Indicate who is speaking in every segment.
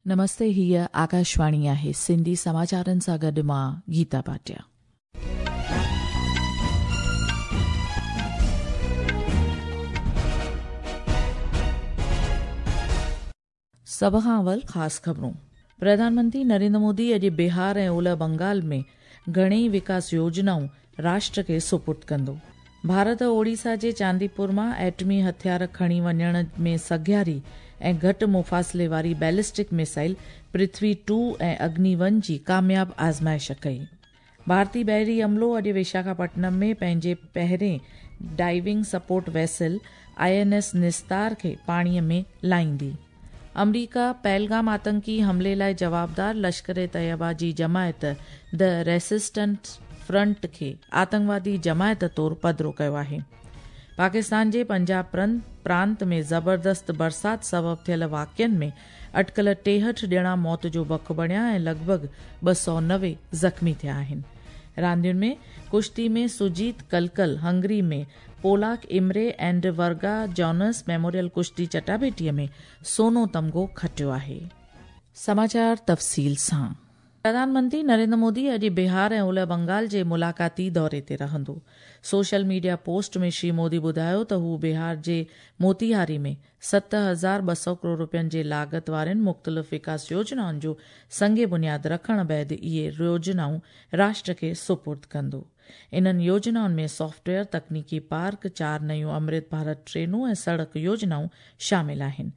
Speaker 1: نمستي هيء آڪاشواڻي آهي سنڌي سماچارن سان گڏ مان گيتا ڀاٽيا. سڀ کان اول خاص خبرون. پرڌان منتري نريندر مودي اڄ بهار ۽ اولهه بنگال ۾ گهڻيئي وڪاس يوجنائون راشٽر کي سپرد ڪندو. ڀارت اوڙيسا جي چانديپور مان ايٽمي هٿيار کڻي وڃڻ ۾ سگهاري ۽ گهٽ مفاصلي واري ballistic missile Prithvi two ۽ Agni one جي ڪامياب آزمائش ڪئي. ڀارتي بحري عملو اڄ وشاکاپٽنم ۾ پنهنجي پهرين diving support vessel I N S Nistar کي پاڻي ۾ لاهيندي. آمريڪا پهلگام آتنڪي حملي لاء جوابدار لشڪر طيبه جي جماعت the resistance front کي آتنڪوادي جماعت طور پڌرو ڪيو آهي. پاڪستان جي پنجاب پرانت ۾ زبردست برسات سبب ٿيل واقعن ۾ اٽڪل 63 ڄڻا موت جو بک بڻيا ۽ لڳ ڀڳ 290 زخمي ٿيا آهن. راندين ۾ ڪشتي ۾ سجيت ڪلڪل هنگري ۾ پولاڪ امري اينڊ ورگا جانس ميموريل ڪشتي چٽاڀيٽي ۾ سونو تمغو کٽيو آهي. سماچار تفصيل سان. پرڌان منتري نريندر مودي اڄ بهار ۽ اولهه بنگال جي ملاقاتي دوري تي رهندو. Social media post ۾ Shri Modi ٻڌايو ته هو بهار جي موتيهاري ۾ 7200 ڪروڙ رپين جي لاڳت وارين مختلف وڪاس يوجنائن جو سنگ بنياد رکڻ بعد اهي يوجنائون راشٽر کي سپرد ڪندو. انهن يوجنائن ۾ سافٽ ويئر تڪنيڪي پارڪ، چار نيون امرت ڀارت ٽرينون ۽ سڙڪ يوجنائون شامل آهن.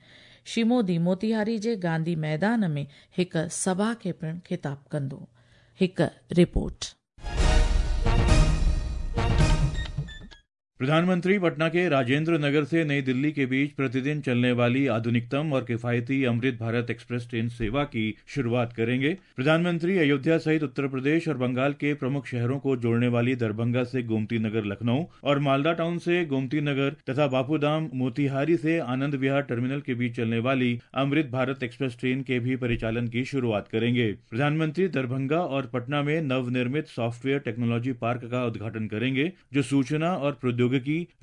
Speaker 1: شري مودي موتيهاري جي گانڌي ميدان ۾ هڪ سڀا کي پڻ خطاب ڪندو. هڪ رپورٽ.
Speaker 2: प्रधानमंत्री पटना के राजेंद्र नगर से नई दिल्ली के बीच प्रतिदिन चलने वाली आधुनिकतम और किफायती अमृत भारत एक्सप्रेस ट्रेन सेवा की शुरुआत करेंगे। प्रधानमंत्री अयोध्या सहित उत्तर प्रदेश और बंगाल के प्रमुख शहरों को जोड़ने वाली दरभंगा से गोमती नगर लखनऊ और मालदा टाउन से गोमती नगर तथा बापूधाम मोतिहारी से आनंद विहार टर्मिनल के बीच चलने वाली अमृत भारत एक्सप्रेस ट्रेन के भी परिचालन की शुरुआत करेंगे। प्रधानमंत्री दरभंगा और पटना में नवनिर्मित सॉफ्टवेयर टेक्नोलॉजी पार्क का उद्घाटन करेंगे, जो सूचना और प्रौद्योगिकी,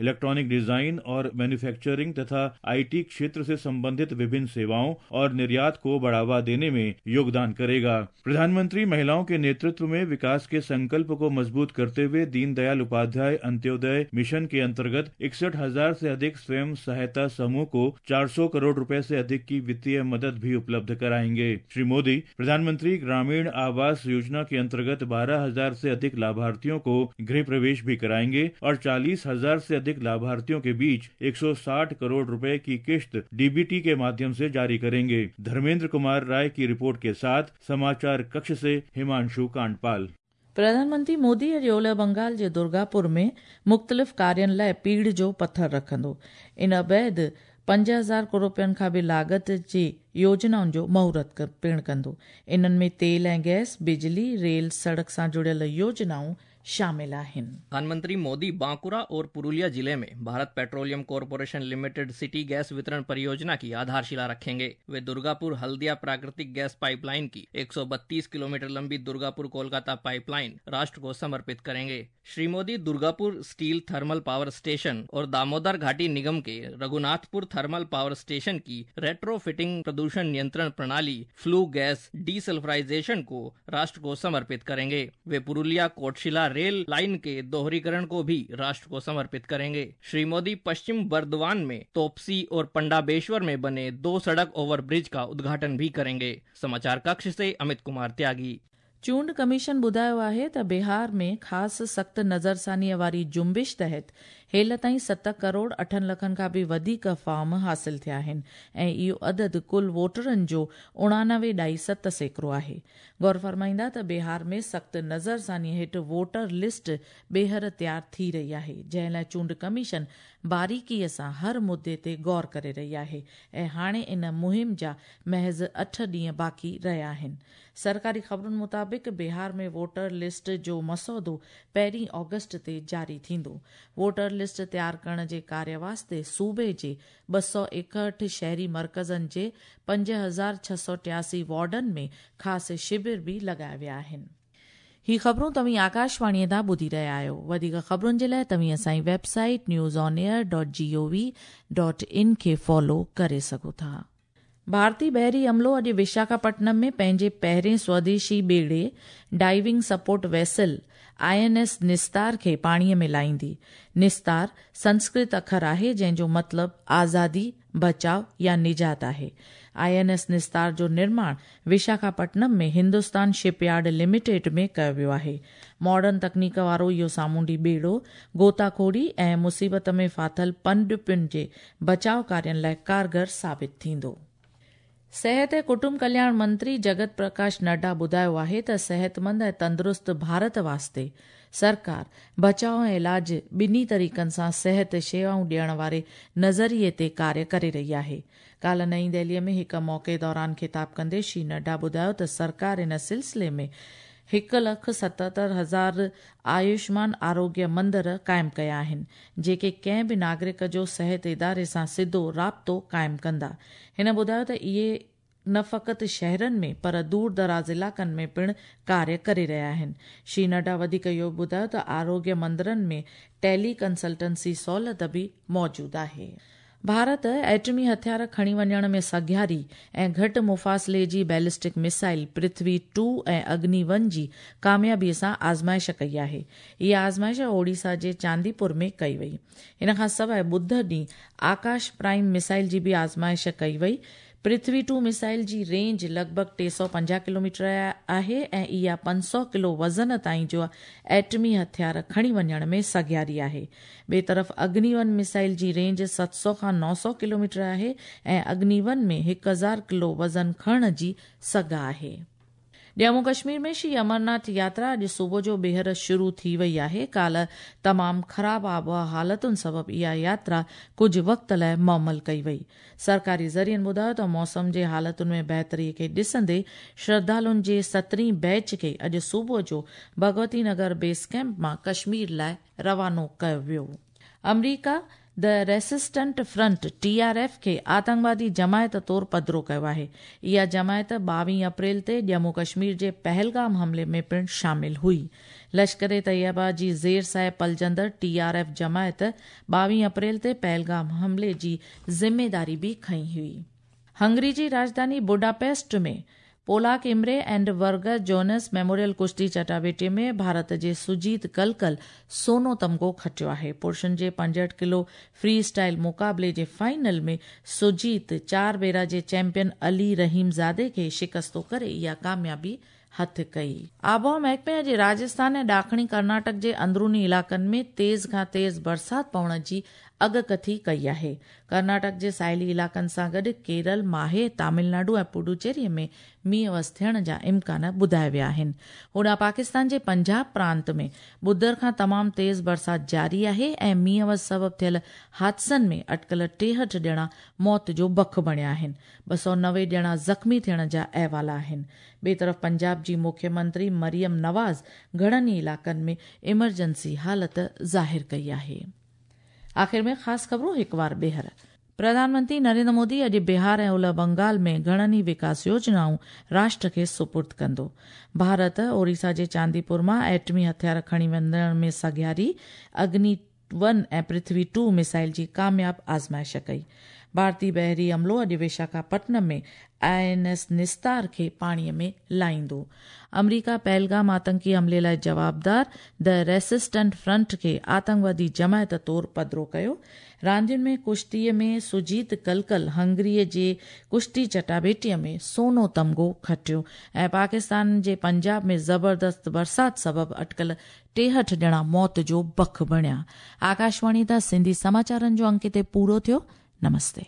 Speaker 2: इलेक्ट्रॉनिक डिजाइन और मैन्युफैक्चरिंग तथा IT क्षेत्र से संबंधित विभिन्न सेवाओं और निर्यात को बढ़ावा देने में योगदान करेगा। प्रधानमंत्री महिलाओं के नेतृत्व में विकास के संकल्प को मजबूत करते हुए दीनदयाल उपाध्याय अंत्योदय मिशन के अंतर्गत 61,000 से अधिक स्वयं सहायता समूह को 400 करोड़ रुपए से अधिक की वित्तीय मदद भी उपलब्ध कराएंगे। श्री मोदी प्रधानमंत्री ग्रामीण आवास योजना के अंतर्गत 12,000 से अधिक लाभार्थियों को गृह प्रवेश भी कराएंगे और 40,000 से अधिक लाभार्थियों के बीच 160 करोड़ रुपए की किश्त डीबीटी के माध्यम से जारी करेंगे। धर्मेंद्र कुमार राय की रिपोर्ट के साथ समाचार कक्ष से हिमांशु कांडपाल।
Speaker 1: प्रधानमंत्री मोदी अॼु ओलह बंगाल जे दुर्गापुर में मुख़्तलिफ़ कार्यनि लाइ पीढ़ जो पथर रखंदो। इन बाद 5000 करोड़ रुपयनि खां बि लागत जी योजनाउनि जो मुहूर्त पिणु कंदो। इन्हनि में तेल ऐं गैस, बिजली, रेल, सड़क सां जुड़ियल योजनाऊं शामिल आहिनि।
Speaker 3: प्रधानमंत्री मोदी बांकुरा और पुरुलिया जिले में Bharat petroleum corporation limited city gas वितरण परियोजना की आधारशिला रखेंगे। वे दुर्गापुर हल्दिया प्राकृतिक गैस पाइपलाइन की 132 किलोमीटर लंबी दुर्गापुर कोलकाता पाइपलाइन राष्ट्र को समर्पित करेंगे। Shri Modi Durgapur steel thermal power station और दामोदर घाटी निगम के रघुनाथपुर थर्मल पावर स्टेशन की रेट्रोफिटिंग प्रदूषण नियंत्रण प्रणाली फ्लू गैस डीसल्फराइजेशन को राष्ट्र को समर्पित करेंगे। वे पुरुलिया कोटशिला रेल लाइन के दोहरीकरण को भी राष्ट्र को समर्पित करेंगे। श्री मोदी पश्चिम बर्दवान में तोपसी और पंडाबेश्वर में बने 2 सड़क ओवरब्रिज का उद्घाटन भी करेंगे। समाचार कक्ष से अमित कुमार त्यागी।
Speaker 1: चूंड कमीशन ॿुधायो आहे त बिहार में ख़ासि सख़्तु नज़रसानीअ वारी जुंबिश तहत हेल ताईं 7 करोड़ 8 लखनि खां बि वधीक फॉर्म हासिल थिया आहिनि ऐं इहो अदद कुल वोटरनि जो 89.7% आहे। गौर फरमाईंदा त बिहार में सख़्तु नज़रसानीअ हेठि वोटर लिस्ट ॿीहर तयारु थी रही आहे, जंहिं लाइ चूंड कमीशन बारीकीअ सां हर मुद्दे ते गौर करे रही आहे ऐं हाणे इन मुहिम जा महज़ 8 ॾींहं बाक़ी रहिया आहिनि। सरकारी ख़बरुनि मुताबिक़ बिहार में वोटर लिस्ट जो मसौदो 1 ऑगस्ट ते जारी थींदो। वोटर लिस्ट तयारु करण जे कार्य वास्ते सूबे जे 261 शहरी मर्कज़नि जे 5683 वार्डनि में ख़ासि शिविर बि लॻाया विया आहिनि। ही ख़बरूं तव्हीं आकाशवाणीअ तां ॿुधी रहिया आहियो। वधीक ख़बरुनि जे लाइ तव्हीं असांजी वेबसाइट newsonair.gov.in खे फॉलो करे सघो था। ڀارتي بحري عملو اڄ وشاکاپٽنم ۾ پنهنجي پهرين سوديشي ٻيڙي diving support vessel I N S Nistar کي پاڻي ۾ لاهيندي. نستار سنسڪرت اکر آهي جنهن جو مطلب آزادي، بچاء يا نجات آهي. I N S نستار جو نرماڻ Visakhapatnam ۾ Hindustan shipyard limited ۾ ڪيو ويو آهي. ماڊرن تڪنيڪ وارو اهو سامونڊي ٻيڙو غوطاخوري ۽ مصيبت ۾ ڦاٿل پنڊپين جي بچاء ڪارين لاء ڪارگر ثابت ٿيندو. صحت ۽ ڪٽنب ڪلياڻ منتري جگت پرڪاش نڊا ٻڌايو آهي ته صحتمند ۽ تندرست ڀارت واسطي سرڪار بچاء ۽ علاج ٻنهي طريقن سان صحت شيوائون ڏيڻ واري نظريي تي ڪاريه ڪري رهي آهي. ڪالهه نئين دهلي ۾ هڪ موقعي دوران خطاب ڪندي شري نڊا ٻڌايو ته سرڪار ان سلسلي ۾ 1,77,000 آيوشمان آروگيه مندر قائم ڪيا آهن، جيڪي ڪنهن به ناگرڪ جو صحت اداري سان سڌو رابطو قائم ڪندا. هن ٻڌايو ته اهي نه فقط شهرن ۾ پر دور دراز علائقن ۾ پڻ ڪاريه ڪري رهيا آهن. شري نڊا وڌيڪ اهو به ٻڌايو ته آروگيه مندرن ۾ ٽيلي ڪنسلٽنسي سهولت به موجود آهي. ڀارت ايٽمي هٿيار کڻي وڃڻ ۾ سگهاري ۽ گهٽ مفاصلي جي ballistic missile Prithvi two ۽ Agni one جي ڪاميابي سان آزمائش ڪئي آهي. اها آزمائش اوڙيسا جي چانديپور ۾ ڪئي وئي. ان کان سواء ٻڌ ڏينهن آڪاش پرائم ميسائل جي به آزمائش ڪئي وئي. پرٿوي ٽو ميسائل جي رينج لڳ ڀڳ 350 ڪلوميٽر آهي ۽ اها 500 ڪلو وزن تائين جو ايٽمي هٿيار کڻي وڃڻ ۾ سگهاري آهي. ٻئي طرف اگني ون ميسائل جي رينج 700 کان 900 ڪلوميٽر آهي ۽ اگني ون ۾ 1000 ڪلو وزن کڻڻ جي سگهه آهي. ڄمون ڪشمير ۾ شري امرناٿ ياترا اڄ صبح جو ٻيهر شروع ٿي وئي آهي. ڪالهه تمام خراب آبهوا حالتن سبب اها ياترا ڪجهه وقت لاء معمل ڪئي وئي. سرڪاري ذريعن ٻڌايو ته موسم جي حالتن ۾ بهتري کي ڏسندي شرڌالن جي سترهين بيچ کي اڄ صبح جو ڀڳوتي نگر بيس ڪئمپ مان ڪشمير لاء روانو ڪيو ويو. آمريڪا the resistant front, T R F, کي آتنڪوادي جماعت طور پڌرو ڪيو آهي. اها جماعت 22 اپريل تي ڄمون ڪشمير جي پهلگام حملي ۾ پڻ شامل هئي. لشڪر طيبه جي زير سايه پلجندڙ ٽي آر ايف جماعت 22 اپريل تي پهلگام حملي جي ذميداري به کنئي هئي. هنگري جي راڄڌاني Budapest ۾ Polak Imre and Varga Jonas memorial ڪشتي چٽاڀيٽي ۾ ڀارت جي سجيت ڪلڪل سونو تمغو کٽيو آهي. پرشن جي 65 ڪلو فري اسٽائل مقابلي جي فائنل ۾ سجيت چار ڀيرا جي چيمپيئن علي رحيم زادي کي شڪستو ڪري اها ڪاميابي هٿ ڪئي. آبهوا محڪمي اڄ راجسٿان ۽ ڏاکڻي ڪرناٽڪ جي اندروني علائقن ۾ تيز کان تيز برسات پوڻ جي اڳڪٿي ڪئي آهي. ڪرناٽڪ جي ساحلي علائقن سان گڏ ڪيرل، ماهي، تامل ناڊو ۽ پڊوچيري ۾ مينهن وس ٿيڻ جا امڪان ٻڌايا ويا آهن. هوڏانهن پاڪستان جي پنجاب پرانت ۾ ٻڌر کان تمام تيز برسات جاري آهي ۽ مينهن وس سبب ٿيل حادثن ۾ اٽڪل 63 ڄڻا موت جو بک بڻيا آهن. 290 ڄڻا زخمي ٿيڻ جا احوال آهن. ٻئي طرف پنجاب جي مکيه منتري مريم نواز گهڻن ئي علائقن ۾ ايمرجنسي حالت ظاهر ڪئي آهي. آخر ۾ خاص خبرون هڪ وار ٻيهر. پرڌان منتري نريندر مودي اڄ بهار ۽ اولهه بنگال ۾ گهڻن ئي وڪاس يوجنائون راشٽر کي سپرد ڪندو. ڀارت اوڙيسا جي چانديپور مان ايٽمي هٿيار کڻي وڃڻ ۾ سگهاري اگني ون ۽ پرٿوي ٽو ميسائل جي ڪامياب آزمائش ڪئي. ڀارتي بحري عملو اڄ وشاکاپٽنم ۾ I N S نستار کي پاڻي ۾ لاهيندو. آمريڪا پهلگام آتنڪي حملي لاء جوابدار the resistant front کي آتنڪوادي جماعت طور پڌرو ڪيو. راندين ۾ ڪشتي ۾ سجيت ڪلڪل هنگري جي ڪشتي چٽاڀيٽي ۾ سونو تمغو کٽيو ۽ پاڪستان جي پنجاب ۾ زبردست برسات سبب اٽڪل 63 ڄڻا موت جو بک بڻيا. آڪاشواڻي تان سنڌي سماچارن جو انڪ هتي پورو ٿيو. نمستي.